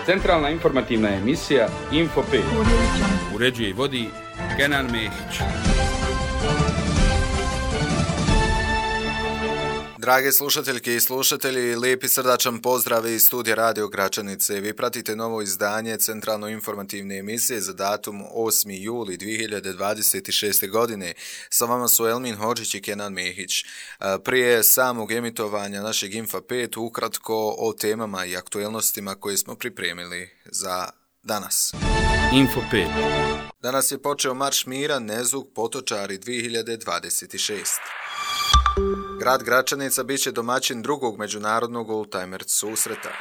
Centralna informativna emisija Info 5. Uređuje i vodi Kenan Mehić. Drage slušateljke i slušatelji, lijepi srdačan pozdrav iz studija Radio Gračanice. Vi pratite novo izdanje Centralno informativne emisije za datum 8. juli 2026. godine. Sa vama su Elmin Hodžić i Kenan Mehić. Prije samog emitovanja našeg Info 5 ukratko o temama i aktuelnostima koje smo pripremili za danas. Info 5. Danas je počeo Marš mira Nezug Potočari 2026. Grad Gračanica bit će domaćin drugog međunarodnog oldtimer susreta.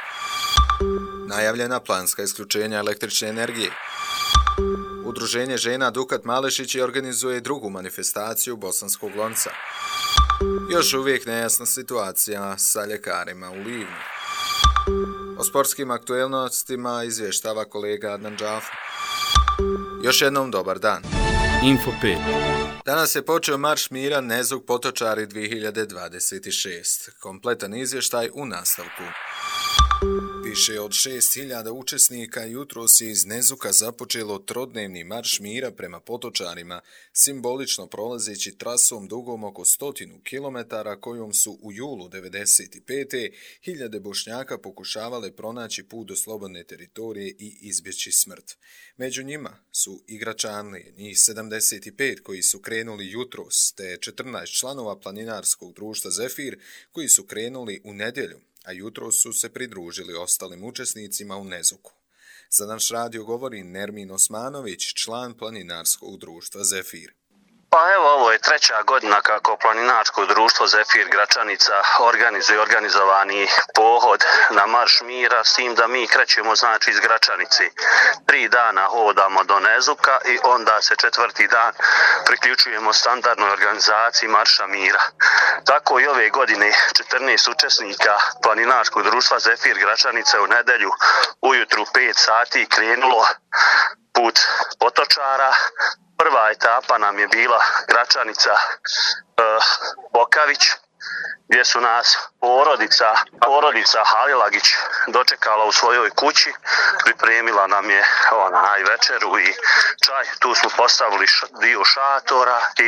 Najavljena planska isključenja električne energije. Udruženje žena Dukat Malešić organizuje drugu manifestaciju Bosanskog lonca. Još uvijek nejasna situacija sa ljekarima u Livnu. O sportskim aktuelnostima izvještava kolega Adnan Džafa. Još jednom dobar dan. Info 5. Danas je počeo Marš mira Nezug Potočari 2026. Kompletan izvještaj u nastavku. Više od 6.000 učesnika jutros je iz Nezuka započelo trodnevni Marš mira prema Potočarima, simbolično prolazeći trasom dugom oko 100 km kojom su u julu 1995. hiljade Bošnjaka pokušavale pronaći put do slobodne teritorije i izbjeći smrt. Među njima su i Gračanlije, njih 75 koji su krenuli jutros, te 14 članova planinarskog društva Zefir koji su krenuli u nedjelju, a jutro su se pridružili ostalim učesnicima u Nezuku. Za naš radio govori Nermin Osmanović, član planinarskog društva Zefir. Pa evo, ovo je treća godina kako planinarsko društvo Zefir Gračanica organizuje organizovani pohod na Marš mira, s tim da mi krećemo znači iz Gračanici. 3 dana hodamo do Nezuka i onda se 4. dan priključujemo standardnoj organizaciji Marša mira. Tako i ove godine 14 učesnika planinarskog društva Zefir Gračanice u nedjelju ujutru 5 sati krenulo put Potočara. Prva etapa nam je bila Gračanica Bokavić, gdje su nas porodica Halilagić dočekala u svojoj kući, pripremila nam je večeru i čaj. Tu smo postavili dio šatora i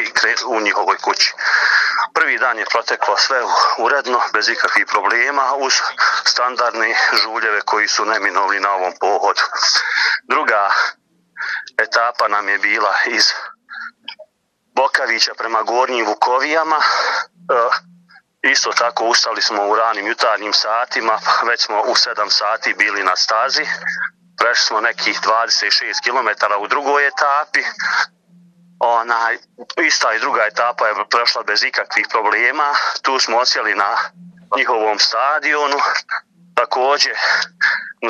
u njihovoj kući. Prvi dan je proteklo sve uredno, bez ikakvih problema, uz standardne žuljeve koji su neminovni na ovom pohodu. Druga etapa nam je bila iz Bokavića prema Gornjim Vukovijama. Isto tako ustali smo u ranim jutarnjim satima, već smo u 7 sati bili na stazi. Prešli smo nekih 26 km u drugoj etapi. Ista i druga etapa je prošla bez ikakvih problema. Tu smo osjeli na njihovom stadionu. Također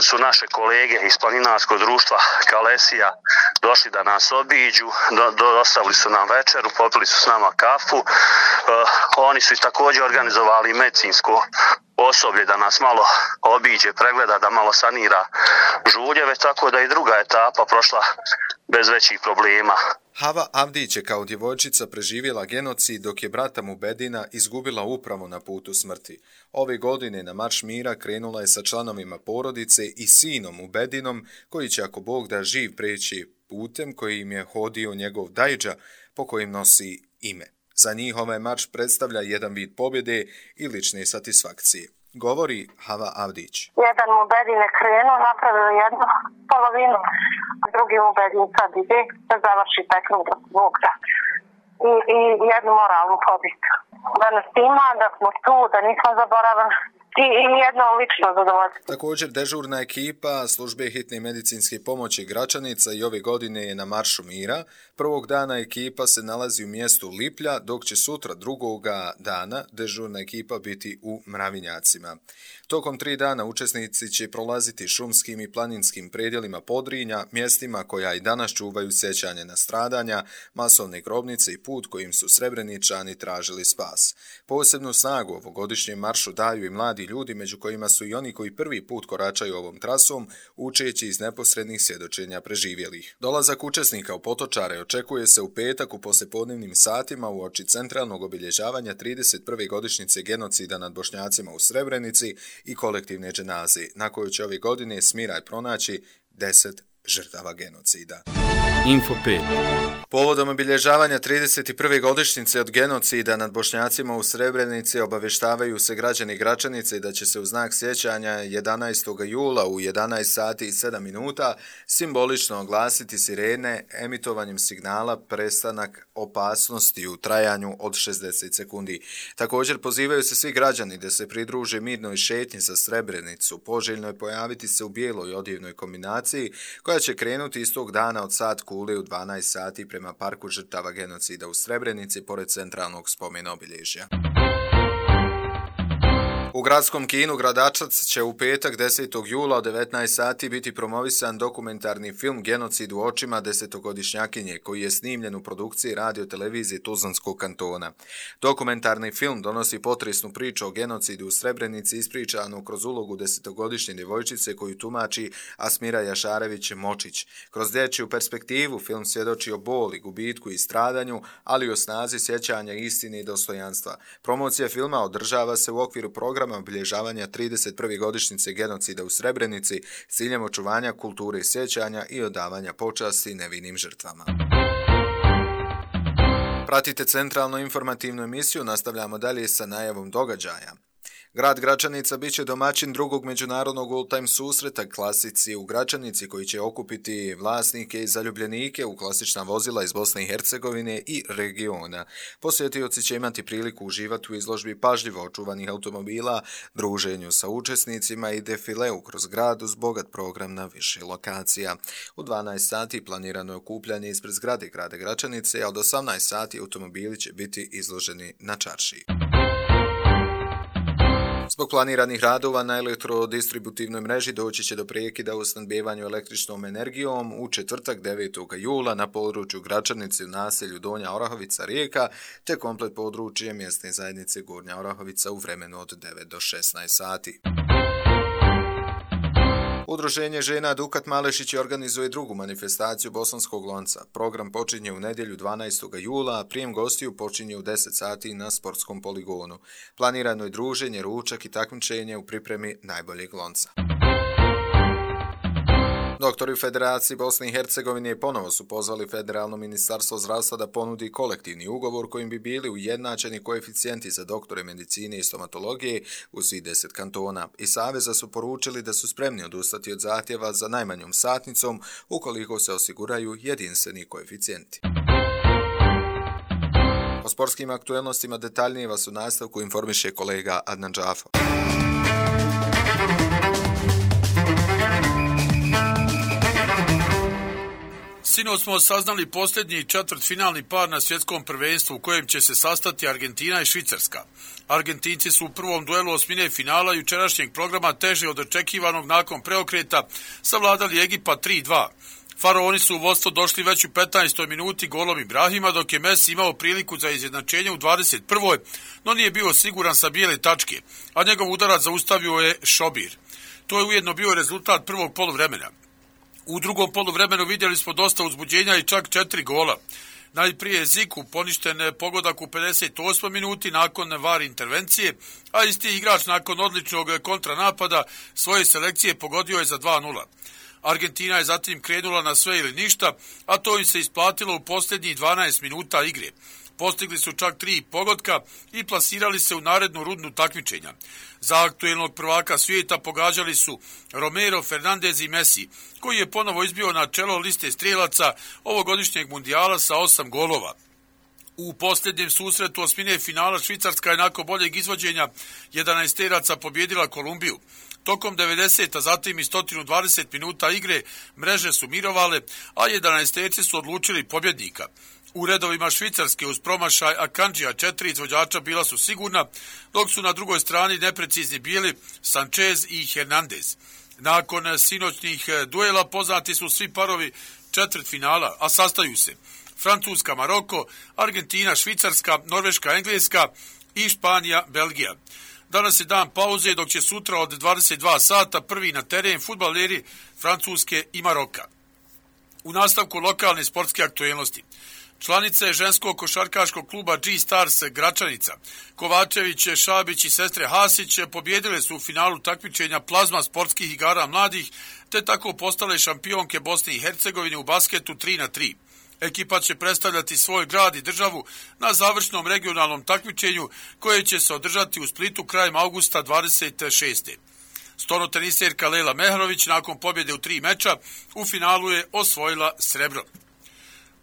su naše kolege iz planinarskog društva Kalesija došli da nas obiđu, dostavili su nam večeru, popili su s nama kafu. Oni su također organizovali medicinsko osoblje da nas malo obiđe, pregleda, da malo sanira žuljeve, tako da i druga etapa prošla bez većih problema. Hava Avdić je kao djevojčica preživjela genocid dok je brata Mubedina izgubila upravo na putu smrti. Ove godine na Marš mira krenula je sa članovima porodice i sinom Mubedinom koji će ako Bog da živ preći putem kojim je hodio njegov dajđa po kojim nosi ime. Za njih ovaj marš predstavlja jedan vid pobjede i lične satisfakcije. Govori Hava Avdić. Jedan Mubedin je krenuo, napravio jednu polovinu, a drugi Mubedin sad ide da završi taj krug Bog da. I jednu moralnu pobjedu. Da nas ima, da smo tu, da nismo zaboravili. I jedno lično zadovoljstvo. Također dežurna ekipa službe hitne medicinske pomoći Gračanica i ove godine je na Maršu mira. Prvog dana ekipa se nalazi u mjestu Liplja, dok će sutra drugoga dana dežurna ekipa biti u Mravinjacima. Tokom 3 dana učesnici će prolaziti šumskim i planinskim predjelima Podrinja, mjestima koja i danas čuvaju sjećanje na stradanja, masovne grobnice i put kojim su Srebreničani tražili spas. Posebnu snagu ovogodišnjem maršu daju i mladi ljudi, među kojima su i oni koji prvi put koračaju ovom trasom, učeći iz neposrednih svjedočenja preživjelih. Dolazak učesnika u Potočare očekuje se u petak u poslijepodnevnim satima uoči centralnog obilježavanja 31. godišnjice genocida nad Bošnjacima u Srebrenici i kolektivne dženaze, na kojoj će ove godine Smiraj pronaći 10 žrtava genocida. Info 5. Povodom obilježavanja 31. godišnjice od genocida nad Bošnjacima u Srebrenici obavještavaju se građani Gračanice da će se u znak sjećanja 11. jula u 11 sati i 7 minuta simbolično oglasiti sirene emitovanjem signala prestanak opasnosti u trajanju od 60 sekundi. Također pozivaju se svi građani da se pridruže mirnoj šetnji za Srebrenicu. Poželjno je pojaviti se u bijeloj odjevnoj kombinaciji koja će krenuti istog dana od sat kule u 12 sati prema parku žrtava genocida u Srebrenici pored centralnog spomena obilježja. U gradskom kinu Gradačac će u petak 10. jula od 19 sati biti promovisan dokumentarni film Genocid u očima 10-godišnjakinje koji je snimljen u produkciji radio-televizije Tuzlanskog kantona. Dokumentarni film donosi potresnu priču o genocidu u Srebrenici ispričanu kroz ulogu 10-godišnje djevojčice koju tumači Asmira Jašarević-Močić. Kroz dječju perspektivu film svjedoči o boli, gubitku i stradanju, ali i o snazi sjećanja istine i dostojanstva. Promocija filma održava se u okviru programa obilježavanja 31. godišnjice genocida u Srebrenici s ciljem očuvanja kulture sjećanja i odavanja počasti nevinim žrtvama. Pratite centralnu informativnu emisiju, nastavljamo dalje sa najavom događaja. Grad Gračanica bit će domaćin drugog međunarodnog old-time susreta klasici u Gračanici koji će okupiti vlasnike i zaljubljenike u klasična vozila iz Bosne i Hercegovine i regiona. Posjetioci će imati priliku uživati u izložbi pažljivo očuvanih automobila, druženju sa učesnicima i defileu kroz grad uz bogat program na više lokacija. U 12 sati planirano je okupljanje ispred zgrade grada Gračanice, a od 18 sati automobili će biti izloženi na čaršiji. Zbog planiranih radova na elektrodistributivnoj mreži doći će do prekida u snabdevanju električnom energijom u četvrtak 9. jula na području Gračanice u naselju Donja Orahovica Rijeka te komplet područje mjesne zajednice Gornja Orahovica u vremenu od 9 do 16 sati. Udruženje žena Dukat Malešić organizuje drugu manifestaciju Bosanskog lonca. Program počinje u nedjelju 12. jula, a prijem gostiju počinje u 10 sati na sportskom poligonu. Planirano je druženje, ručak i takmičenje u pripremi najboljeg lonca. Doktori u Federaciji Bosne i Hercegovine ponovo su pozvali Federalno ministarstvo zdravstva da ponudi kolektivni ugovor kojim bi bili ujednačeni koeficijenti za doktore medicine i stomatologije u svih 10 kantona. I Saveza su poručili da su spremni odustati od zahtjeva za najmanjom satnicom ukoliko se osiguraju jedinstveni koeficijenti. O sportskim aktuelnostima detaljnije vas u nastavku informiše kolega Adnan Džafo. Sinoć smo saznali posljednji četvrtfinalni par na svjetskom prvenstvu u kojem će se sastati Argentina i Švicarska. Argentinci su u prvom duelu osmine finala jučerašnjeg programa teže od očekivanog nakon preokreta savladali Egipat 3-2. Faraoni su u vodstvo došli već u 15. minuti golom Ibrahima, dok je Messi imao priliku za izjednačenje u 21. no nije bio siguran sa bijele tačke, a njegov udarac zaustavio je Šobir. To je ujedno bio rezultat prvog poluvremena. U drugom poluvremenu vidjeli smo dosta uzbuđenja i čak 4 gola. Najprije Ziku poništen pogodak u 58. minuti nakon VAR intervencije, a isti igrač nakon odličnog kontranapada svoje selekcije pogodio je za 2-0. Argentina je zatim krenula na sve ili ništa, a to im se isplatilo u posljednjih 12 minuta igre. Postigli su čak 3 pogotka i plasirali se u narednu rundu takmičenja. Za aktuelnog prvaka svijeta pogađali su Romero, Fernandez i Messi, koji je ponovo izbio na čelo liste strijelaca ovogodišnjeg mundijala sa 8 golova. U posljednjem susretu osmine finala Švicarska je nakon boljeg izvođenja 11-teraca pobjedila Kolumbiju. Tokom 90, a zatim i 120 minuta igre mreže su mirovale, a 11-terci su odlučili pobjednika. U redovima Švicarske uz promašaj Akanđija 4 izvođača bila su sigurna, dok su na drugoj strani neprecizni bili Sanchez i Hernandez. Nakon sinoćnih duela poznati su svi parovi četvrtfinala, a sastaju se Francuska, Maroko, Argentina, Švicarska, Norveška, Engleska i Španija, Belgija. Danas je dan pauze, dok će sutra od 22 sata prvi na teren fudbaleri Francuske i Maroka. U nastavku lokalne sportske aktuelnosti. Članice ženskog košarkaškog kluba G-Stars Gračanica, Kovačević, Šabić i sestre Hasić pobjedile su u finalu takmičenja plazma sportskih igara mladih, te tako postale šampionke Bosne i Hercegovine u basketu 3-3. Ekipa će predstavljati svoj grad i državu na završnom regionalnom takmičenju koje će se održati u Splitu krajem augusta 26. Stolnoteniserka Lela Mehrović nakon pobjede u 3 meča u finalu je osvojila srebro.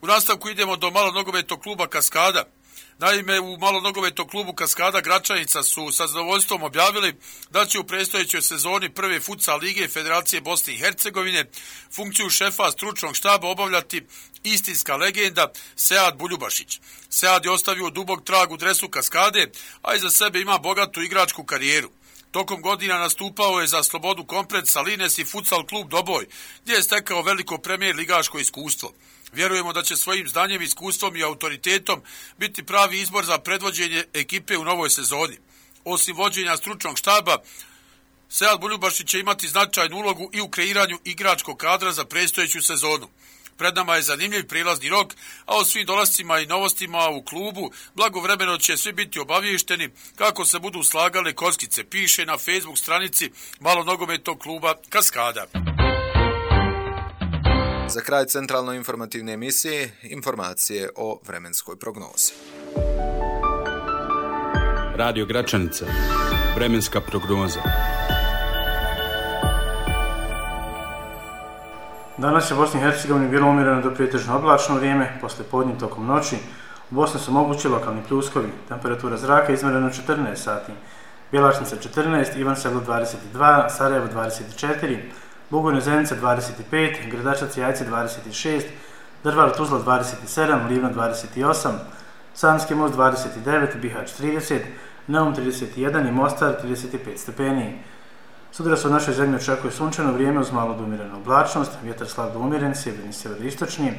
U nastavku idemo do malonogometnog kluba Kaskada. Naime, u malonogometnom klubu Kaskada Gračanica su sa zadovoljstvom objavili da će u predstojećoj sezoni prve futsal lige Federacije Bosne i Hercegovine funkciju šefa stručnog štaba obavljati istinska legenda Sead Buljubašić. Sead je ostavio dubok trag u dresu Kaskade, a iza sebe ima bogatu igračku karijeru. Tokom godina nastupao je za Slobodu Komplet, Salines i futsal klub Doboj, gdje je stekao veliko premijer ligaško iskustvo. Vjerujemo da će svojim znanjem, iskustvom i autoritetom biti pravi izbor za predvođenje ekipe u novoj sezoni. Osim vođenja stručnog štaba, Sead Buljubašić će imati značajnu ulogu i u kreiranju igračkog kadra za predstojeću sezonu. Pred nama je zanimljiv prilazni rok, a o svim dolascima i novostima u klubu blagovremeno će svi biti obavješteni kako se budu slagale kockice, piše na Facebook stranici malonogometnog kluba Kaskada. Za kraj centralno informativne emisije, informacije o vremenskoj prognozi. Radio Gračanica. Vremenska prognoza. Danas je u Bosni i Hercegovini bilo umjereno do pretežno oblačno vrijeme, poslije podne tokom noći. U Bosni su mogući lokalni pljuskovi, temperatura zraka izmjerena 14 sati. Bjelašnica 14, Ivan Selo 22, Sarajevo 24, Bugojno Zenica 25, Gradačac i Jajce 26, Drvar Tuzla 27, Livno 28, Sanski most 29, Bihać 30, Neum 31 i Mostar 35 stepeni. Sutra se u našoj zemlji očekuje sunčano vrijeme uz malo do umjerenu oblačnost, vjetar slab do umjeren, sjeverni sjeveroistočni,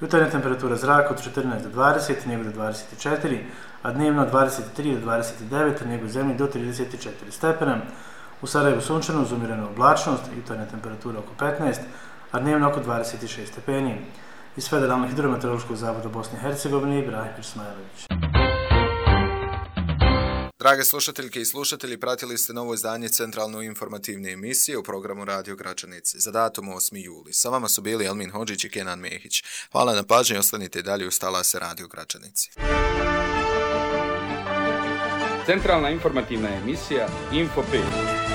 jutarnja temperatura zraka od 14 do 20, nego do 24, a dnevno od 23 do 29, nego u zemlji do 34 stepena. U Sarajevu sunčano uz umjerenu oblačnost, jutarnja temperatura oko 15, a dnevno oko 26 stepeni. Iz Federalnog hidrometeorološkog zavoda Bosne i Hercegovine, Ibrahim Ismailović. Drage slušateljke i slušatelji, pratili ste novo izdanje centralno informativne emisije u programu Radio Gračanice za datum 8. juli. Sa vama su bili Elmin Hodžić i Kenan Mehić. Hvala na pažnji, ostanite dalje uz talase Radio Gračanice. Centralna informativna emisija Info 5.